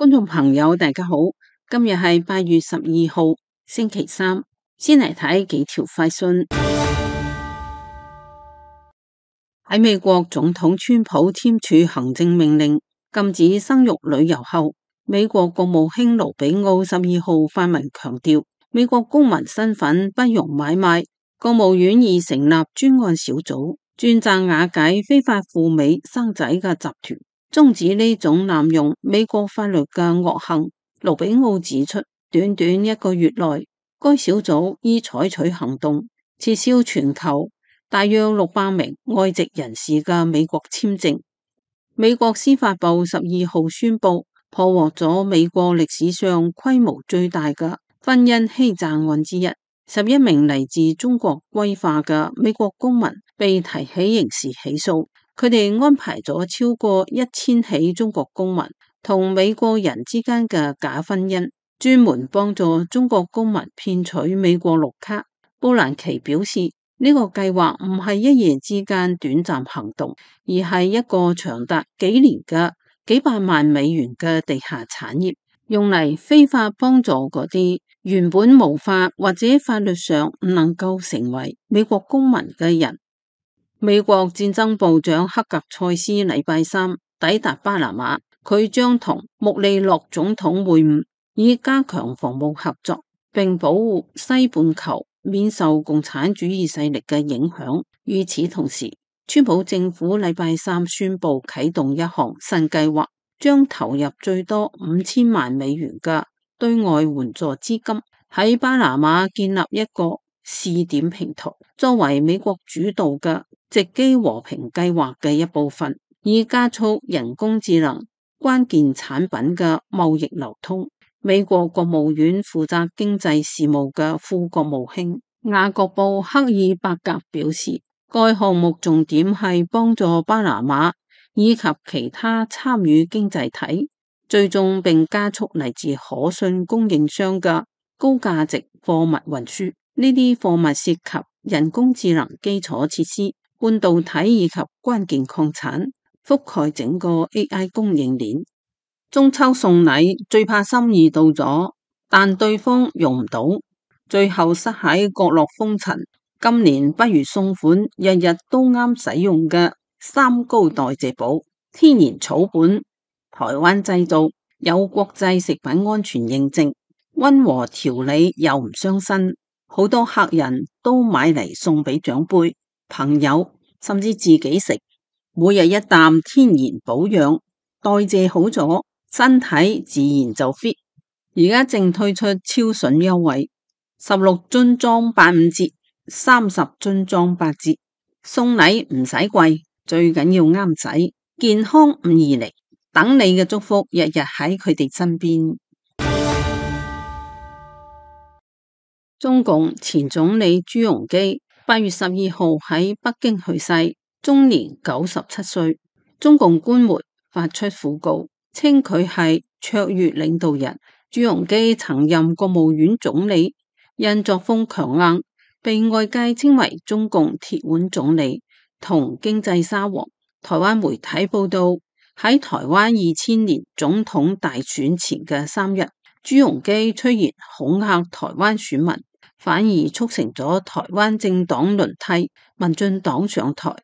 觀眾朋友，大家好，今日係8月12號，星期三，先嚟睇幾條快訊。喺美國總統川普簽署行政命令禁止生育旅遊後，美國國務卿盧比奧12號發文強調，美國公民身份不容買賣。國務院已成立專案小組，專責瓦解非法赴美生仔嘅集團，終止呢種濫用美國法律嘅惡行。盧比奧指出，短短1個月內，該小組已採取行動，撤銷全球大約600名外籍人士嘅美國簽證。美國司法部12號宣布，破獲咗美國歷史上規模最大嘅婚姻欺詐案之一。11名嚟自中國歸化嘅美國公民被提起刑事起訴，佢哋安排咗超過1000起中國公民同美國人之間嘅假婚姻，專門幫助中國公民騙取美國綠卡。布蘭奇表示，呢個計劃唔係一夜之間短暫行動，而係一個長達幾年嘅幾百萬美元嘅地下產業，用嚟非法幫助嗰啲原本無法或者法律上唔能夠成為美國公民嘅人。美國戰爭部長克格塞斯禮拜三抵達巴拿馬，佢將同穆利諾總統會晤，以加強防務合作，並保護西半球免受共產主義勢力嘅影響。與此同時，川普政府禮拜三宣布啟動一項新計劃，將投入最多5000萬美元嘅對外援助資金，喺巴拿馬建立一個試點平台，作為美國主導嘅直機和平計劃嘅一部分，以加速人工智能關鍵產品嘅貿易流通。美國國務院負責經濟事務嘅副國務卿雅各布克爾伯格表示，該項目重點係幫助巴拿馬以及其他參與經濟體追蹤並加速嚟自可信供應商嘅高價值貨物運輸。呢啲貨物涉及人工智能基礎設施、半導體以及關鍵礦產，覆蓋整個 AI 供應鏈。中秋送禮最怕心意到咗，但對方用唔到，最後塞喺角落封塵。今年不如送款日日都啱使用嘅三高代謝寶，天然草本，台灣製造，有國際食品安全認證，溫和調理又唔傷身，好多客人都買嚟送俾長輩、朋友，甚至自己食。每日一啖天然保養，代謝好咗，身體自然就 fit。而家正推出超筍優惠，16樽裝85折，30樽裝8折。送禮唔使貴，最緊要啱使，健康唔易嚟，等你嘅祝福日日喺佢哋身邊。中共前總理朱鎔基8月12號喺北京去世，終年97歲。中共官媒發出訃告，稱佢係卓越領導人。朱鎔基曾任國務院總理，因作風強硬，被外界稱為中共鐵腕總理同經濟沙皇。台灣媒體報道，喺台灣2000年總統大選前嘅3日，朱鎔基雖然恐嚇台灣選民，反而促成咗台灣政黨輪替，民進黨上台。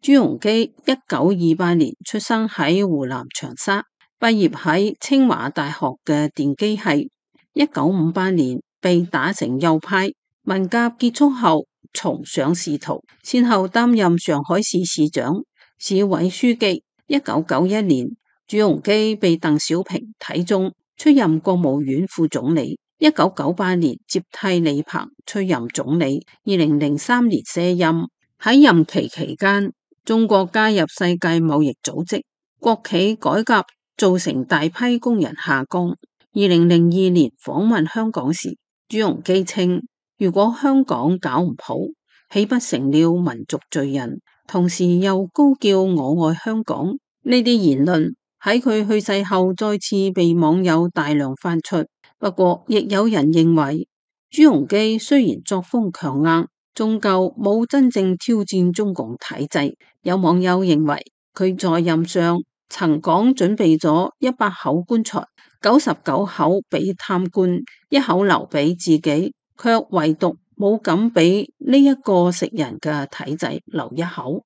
朱鎔基1928年出生喺湖南長沙，畢業喺清華大學嘅電機系。1958年被打成右派，文革結束後重上仕途，先後擔任上海市市長、市委書記。1991年，朱鎔基被鄧小平睇中，出任國務院副總理。1998年接替李鵬出任總理。2003年卸任。喺任期期間，中國加入世界貿易組織，國企改革造成大批工人下崗。2002年訪問香港時，朱鎔基稱，如果香港搞唔好，豈不成了民族罪人？同時又高叫我愛香港。呢啲言論喺佢去世後再次被網友大量翻出。不過亦有人認為，朱鎔基雖然作風強硬，終究冇真正挑戰中共體制。有網友認為佢在任上曾講準備咗100口棺材，99口俾貪官，1口留俾自己，卻唯獨冇敢俾呢一個食人嘅體制留1口。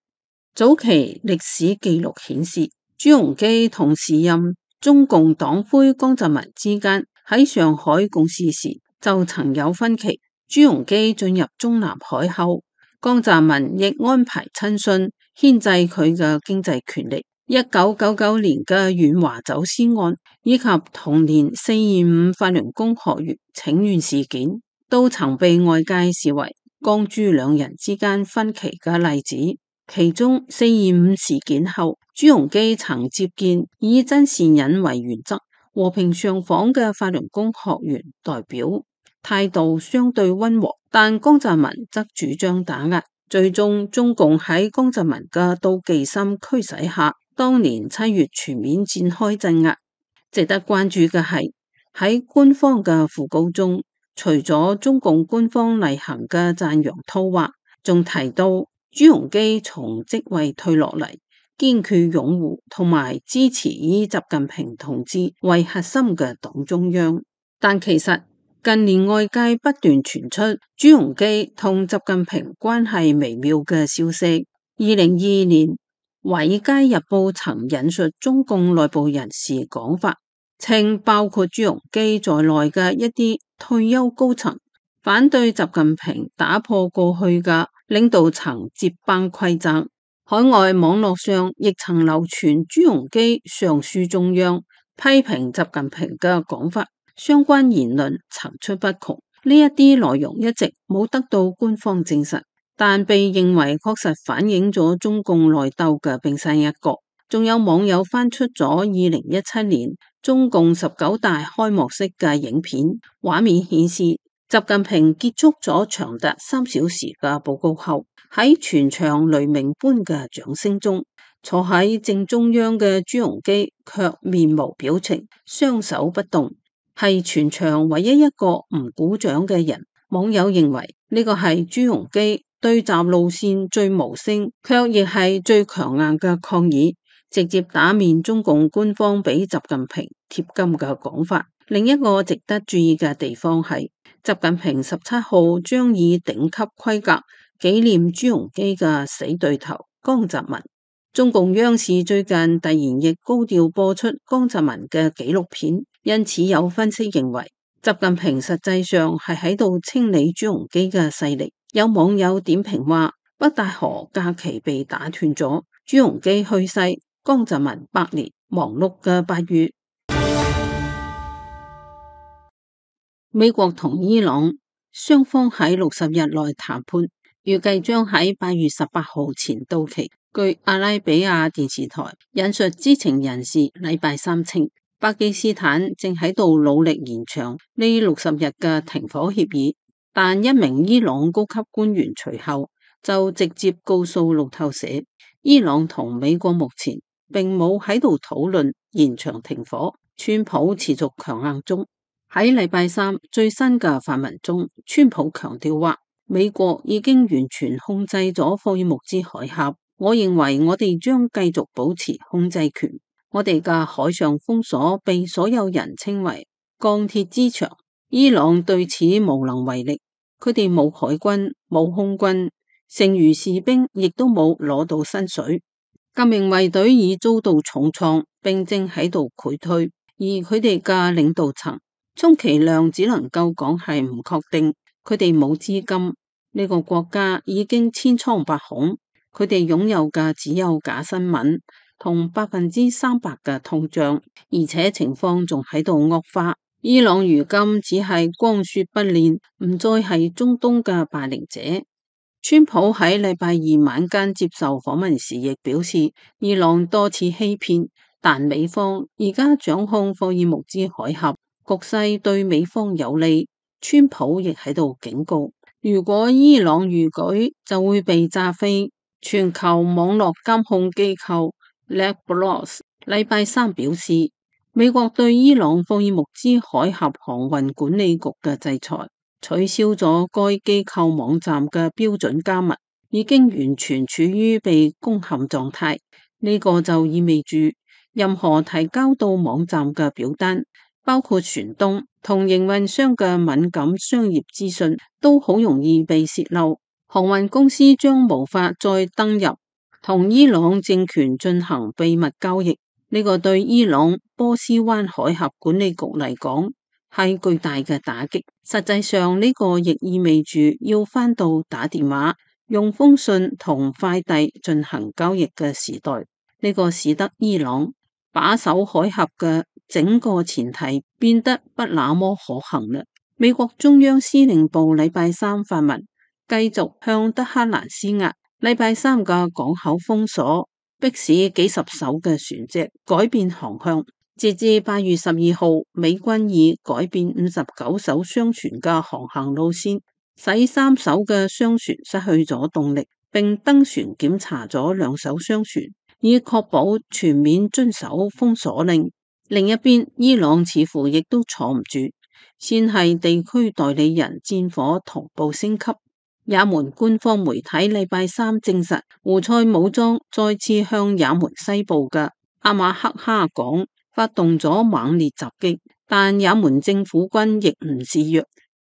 早期歷史記錄顯示，朱鎔基同時任中共黨魁江澤民之間喺上海共事時就曾有分歧。朱鎔基進入中南海後，江澤民亦安排親信牽制佢嘅經濟權力。1999年嘅遠華走私案，以及同年425法輪功學員請願事件，都曾被外界視為江朱兩人之間分歧嘅例子。其中425事件後，朱鎔基曾接見以真善忍為原則、和平上訪嘅法輪功學員代表，態度相對溫和，但江澤民則主張打壓。最終中共喺江澤民嘅妒忌心驅使下，當年7月全面展開鎮壓。值得關注嘅係，喺官方嘅訃告中，除咗中共官方例行嘅讚揚套話，仲提到朱鎔基從職位退落嚟，堅決擁護同埋支持以習近平同志為核心嘅黨中央。但其實近年外界不斷傳出朱鎔基同習近平關係微妙嘅消息。2022年《華爾街日報》曾引述中共內部人士講法，稱包括朱鎔基在內嘅一啲退休高層反對習近平打破過去嘅領導層接班規則。海外網絡上亦曾流傳朱鎔基上書中央批評習近平嘅講法，相關言論層出不窮。呢一啲內容一直冇得到官方證實，但被認為確實反映咗中共內鬥嘅冰山一角。仲有網友翻出咗2017年中共19大開幕式嘅影片，畫面顯示習近平結束咗長達3小時嘅報告後，喺全場雷鳴般嘅掌聲中，坐喺正中央嘅朱鎔基卻面無表情，雙手不動，係全場唯一一個唔鼓掌嘅人。網友認為呢個係朱鎔基對習路線最無聲，卻亦係最強硬嘅抗議，直接打面中共官方俾習近平貼金嘅講法。另一個值得注意嘅地方係，習近平17號將以頂級規格紀念朱鎔基嘅死對頭江澤民。中共央視最近突然亦高調播出江澤民嘅紀錄片，因此有分析認為習近平實際上係喺度清理朱鎔基嘅勢力。有網友點評話，北戴河假期被打斷咗，朱鎔基去世，江澤民百年忙碌嘅8月。美國同伊朗雙方喺60日內談判，預計將喺8月18號前到期。據阿拉比亞電視台引述知情人士禮拜三稱，巴基斯坦正喺度努力延長呢60日嘅停火協議，但一名伊朗高級官員隨後就直接告訴路透社，伊朗同美國目前並冇喺度討論延長停火，川普持續強硬中。喺禮拜三最新嘅發文中，川普強調話，美國已經完全控制咗霍爾木茲海峽，我認為我哋將繼續保持控制權。我哋嘅海上封鎖被所有人稱為鋼鐵之牆，伊朗對此無能為力，佢哋冇海軍、冇空軍，剩餘士兵亦都冇攞到薪水。革命衛隊已遭到重創，並正喺度潰退，而佢哋嘅領導層充其量只能夠講係唔確定，佢哋冇資金，呢個國家已經千瘡百孔，佢哋擁有嘅只有假新聞同300%嘅通脹，而且情況仲喺度惡化。伊朗如今只係光說不練，唔再係中東嘅霸凌者。川普喺禮拜二晚間接受訪問時亦表示，伊朗多次欺騙，但美方而家掌控霍爾木茲海峽，局勢對美方有利。川普亦喺度警告，如果伊朗逾矩，就會被炸飛。全球網絡監控機構 Lexbros 禮拜三表示，美國對伊朗霍爾木茲海峽航運管理局嘅制裁，取消咗該機構網站嘅標準加密，已經完全處於被攻陷狀態。呢個就意味住任何提交到網站嘅表單，包括船東同營運商嘅敏感商業資訊，都好容易被洩漏。航運公司將無法再登入同伊朗政權進行秘密交易。呢個對伊朗波斯灣海峽管理局嚟講係巨大嘅打擊。實際上，呢個亦意味住要返到打電話、用封信同快遞進行交易嘅時代。呢個使得伊朗把守海峽嘅整個前提變得不那麼可行啦。美國中央司令部禮拜三發文，繼續向德黑蘭施壓。禮拜三嘅港口封鎖，迫使幾十艘嘅船隻改變航向。截至8月12號，美軍已改變59艘商船嘅航行路線，使3艘嘅商船失去咗動力，並登船檢查咗2艘商船，以確保全面遵守封鎖令。另一邊，伊朗似乎亦都坐唔住，先係地區代理人戰火同步升級。也門官方媒體禮拜三證實，胡塞武裝再次向也門西部嘅阿馬克哈港發動咗猛烈襲擊，但也門政府軍亦唔示弱，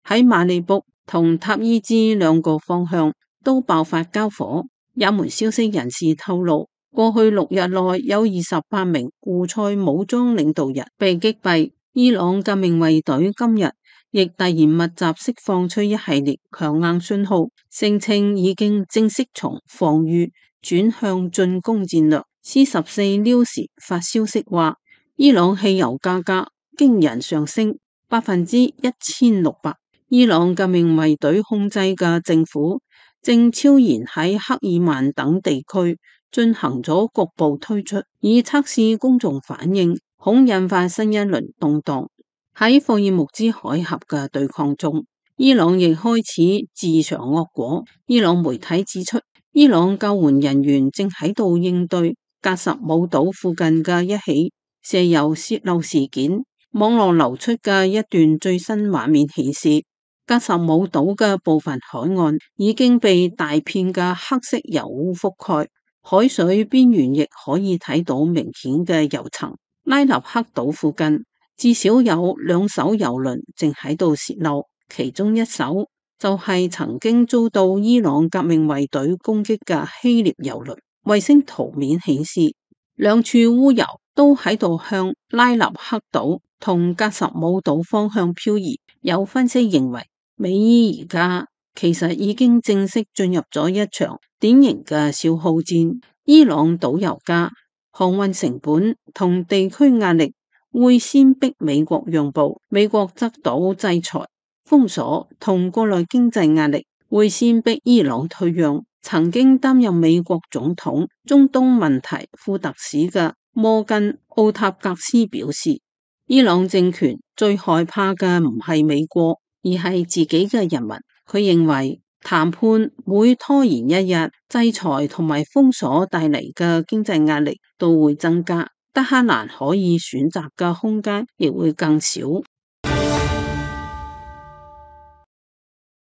喺馬利卜同塔伊茲2個方向都爆發交火。也門消息人士透露，過去6日內有28名胡塞武裝領導人被擊斃。伊朗革命衛隊今日亦突然密集釋放出一系列強硬信號，聲稱已經正式從防禦轉向進攻戰略。C14 News 發消息話，伊朗汽油價格驚人上升1600%。伊朗革命衛隊控制嘅政府正悄然喺克爾曼等地區進行咗局部推出，以測試公眾反應，恐引發新一輪動盪。喺霍爾木茲海峽嘅對抗中，伊朗亦開始自嘗惡果。伊朗媒體指出，伊朗救援人員正喺度應對格什姆島附近嘅一起石油洩漏事件。網絡流出嘅一段最新畫面顯示，格什姆島嘅部分海岸已經被大片嘅黑色油污覆蓋，海水邊緣亦可以睇到明顯嘅油層。拉納克島附近至少有2艘油輪正喺度洩漏，其中一艘就係曾經遭到伊朗革命衛隊攻擊嘅希臘油輪。衛星圖面顯示，兩處污油都喺度向拉納克島同格什姆島方向漂移。有分析認為，美伊而家其實已經正式進入咗一場典型嘅消耗戰。伊朗島油價、航運成本同地區壓力會先逼美國讓步，美國得到制裁、封鎖同國內經濟壓力會先逼伊朗退讓。曾經擔任美國總統中東問題副特使嘅摩根奧塔格斯表示，伊朗政權最害怕嘅唔係美國，而係自己嘅人民。佢認為談判會拖延一日，制裁同埋封鎖帶嚟嘅經濟壓力都會增加，德黑蘭可以選擇嘅空間亦會更少。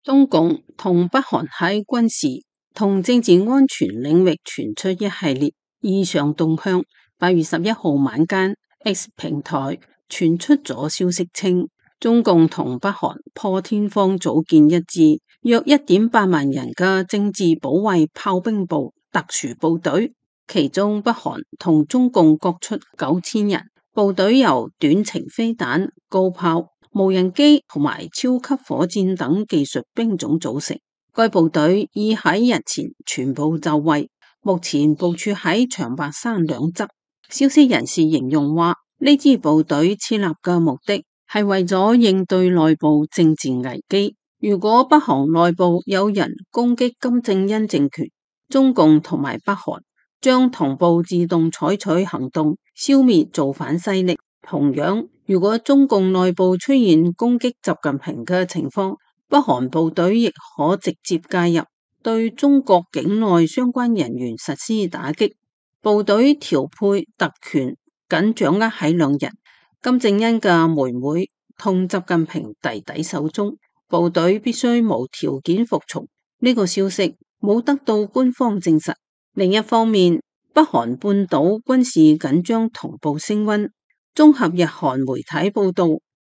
中共同北韓喺軍事同政治安全領域傳出一系列異常動向。8月11號晚間 X 平台傳出咗消息稱，中共同北韓破天荒組建一支約1.8萬人嘅政治保衛炮兵部特殊部隊，其中北韓同中共各出9000人。部隊由短程飛彈、高炮、無人機同埋超級火箭等技術兵種組成。該部隊已喺日前全部就位，目前部署喺長白山兩側。消息人士形容話，呢支部隊設立嘅目的係為咗應對內部政治危機。如果北韓內部有人攻擊金正恩政權，中共同埋北韓將同步自動採取行動，消滅造反勢力。同樣，如果中共內部出現攻擊習近平嘅情況，北韓部隊亦可直接介入，對中國境內相關人員實施打擊。部隊調配特權僅掌握喺2人，金正恩嘅妹妹同習近平弟弟手中，部隊必須無條件服從。呢個消息冇得到官方證實。另一方面，北北韓半島軍事緊張同步升溫。綜合日韓媒體報道，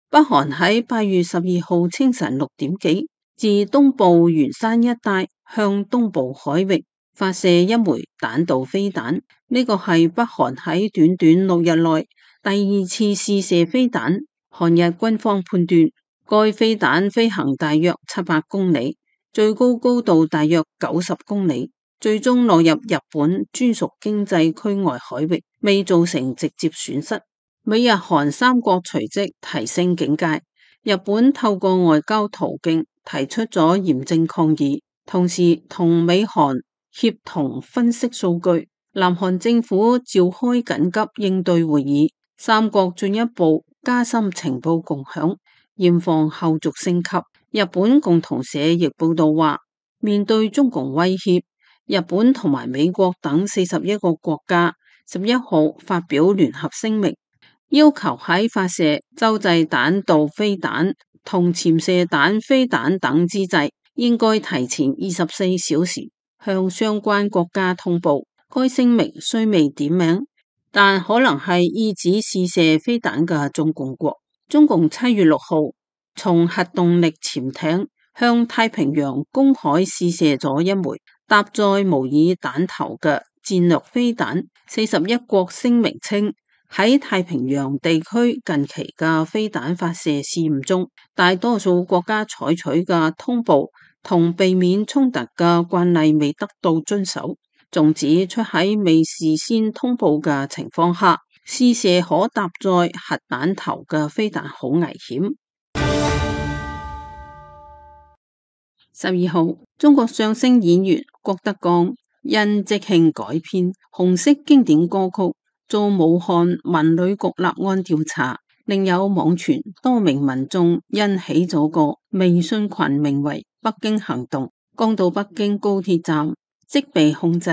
北韓喺8月12號清晨6點幾，自東部元山一帶向東部海域發射一枚彈道飛彈，呢個係北韓喺短短6日內第2次試射飛彈。韓日軍方判斷，該飛彈飛行大約700公里，最高高度大約90公里，最終落入日本專屬經濟區外海域，未造成直接損失。美日韓三國隨即提升警戒，日本透過外交途徑提出咗嚴正抗議，同時同美韓協同分析數據。南韓政府召開緊急應對會議，三國進一步加深情報共享，嚴防後續升級。日本共同社亦報道話，面對中共威脅，日本同埋美國等41個國家11號發表聯合聲明，要求喺發射洲際彈道飛彈同潛射彈飛彈等之際，應該提前24小時向相關國家通報。該聲明雖未點名，但可能係意指試射飛彈嘅中共國。中共7月6號從核動力潛艇向太平洋公海試射咗一枚搭載模擬彈頭嘅戰略飛彈。41國聲明稱，喺太平洋地區近期嘅飛彈發射試驗中，大多數國家採取嘅通報同避免衝突嘅慣例未得到遵守。仲指出喺未事先通報嘅情況下，試射可搭載核彈頭嘅飛彈好危險。12號，中國相聲演員郭德綱因即興改編紅色經典歌曲，遭武漢文旅局立案調查。另有網傳多名民眾因起咗個微信群，名為北京行動，剛到北京高鐵站即被控制，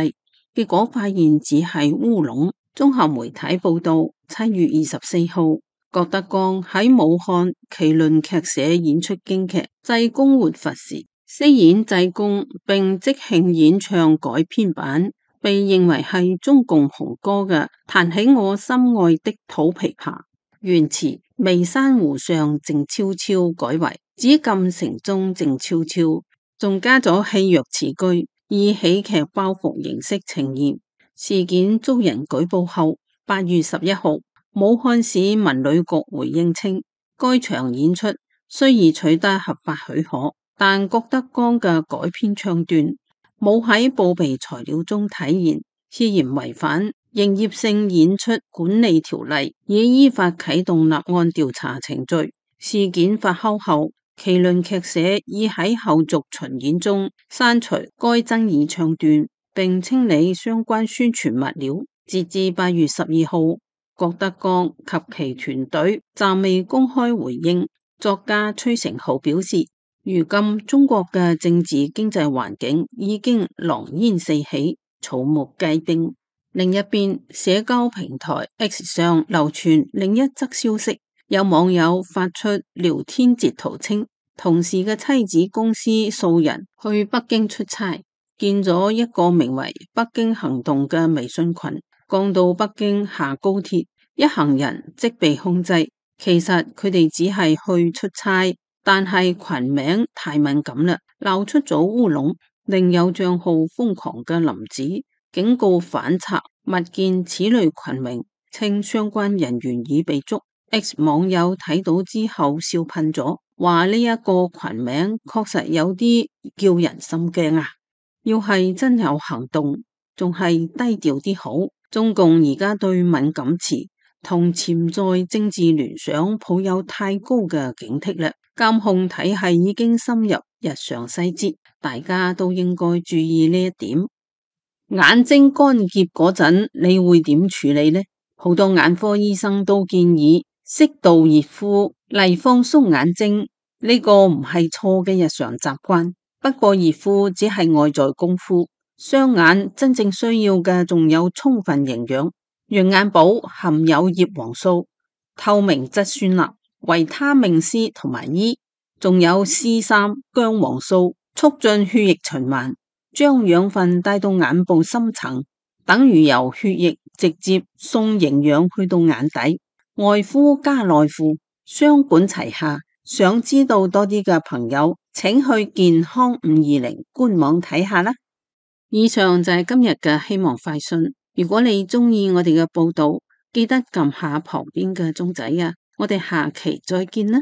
結果發現只係烏龍。綜合媒體報道，7月24號，郭德綱喺武漢麒麟劇社演出京劇《濟公活佛》時，飾演濟公並即興演唱改編版，被認為係中共紅歌嘅《彈起我心愛的土琵琶》，原詞眉山湖上靜悄悄改為紫禁城中靜悄悄，仲加咗戲謔詞句，以喜劇包袱形式呈現。事件遭人舉報後，8月11號，武漢市文旅局回應稱，該場演出雖已取得合法許可，但郭德綱嘅改編唱段冇喺報備材料中體現，涉嫌違反營業性演出管理條例，已依法啟動立案調查程序。事件發酵後，麒麟劇社已喺後續巡演中刪除該爭議唱段，並清理相關宣傳物料。截至8月12號，郭德綱及其團隊暫未公開回應。作家崔成浩表示，如今中國嘅政治經濟環境已經狼煙四起，草木皆兵。另一邊，社交平台 X 上流傳另一則消息，有網友發出聊天截圖稱，同事嘅妻子公司數人去北京出差，見咗一個名為北京行動嘅微信群，剛到北京下高鐵，一行人即被控制。其實佢哋只係去出差，但係群名太敏感啦，鬧出咗烏龍。另有賬號瘋狂嘅林子警告反賊，勿見此類群名，稱相關人員已被捉。X 網友睇到之後笑噴咗，話呢一個群名確實有啲叫人心驚啊！要係真有行動，仲係低調啲好。中共而家對敏感詞同潛在政治聯想抱有太高嘅警惕啦，監控體系已經深入日常細節，大家都應該注意呢一點。眼睛乾澀嗰陣，你會點處理呢？好多眼科醫生都建議適度熱敷嚟放鬆眼睛，呢個唔係錯嘅日常習慣。不過熱敷只係外在功夫，雙眼真正需要嘅仲有充分營養。羊眼寶含有葉黃素、透明質酸鈉、維他命 C 同埋 E， 仲有 C3 薑黃素，促進血液循環，將養分帶到眼部深層，等於由血液直接送營養去到眼底，外敷加內敷，雙管齊下。想知道多啲嘅朋友，請去健康520官網睇下啦。以上就係今日嘅希望快訊。如果你鍾意我哋嘅報道，記得撳下旁邊嘅鐘仔啊！我哋下期再見啦。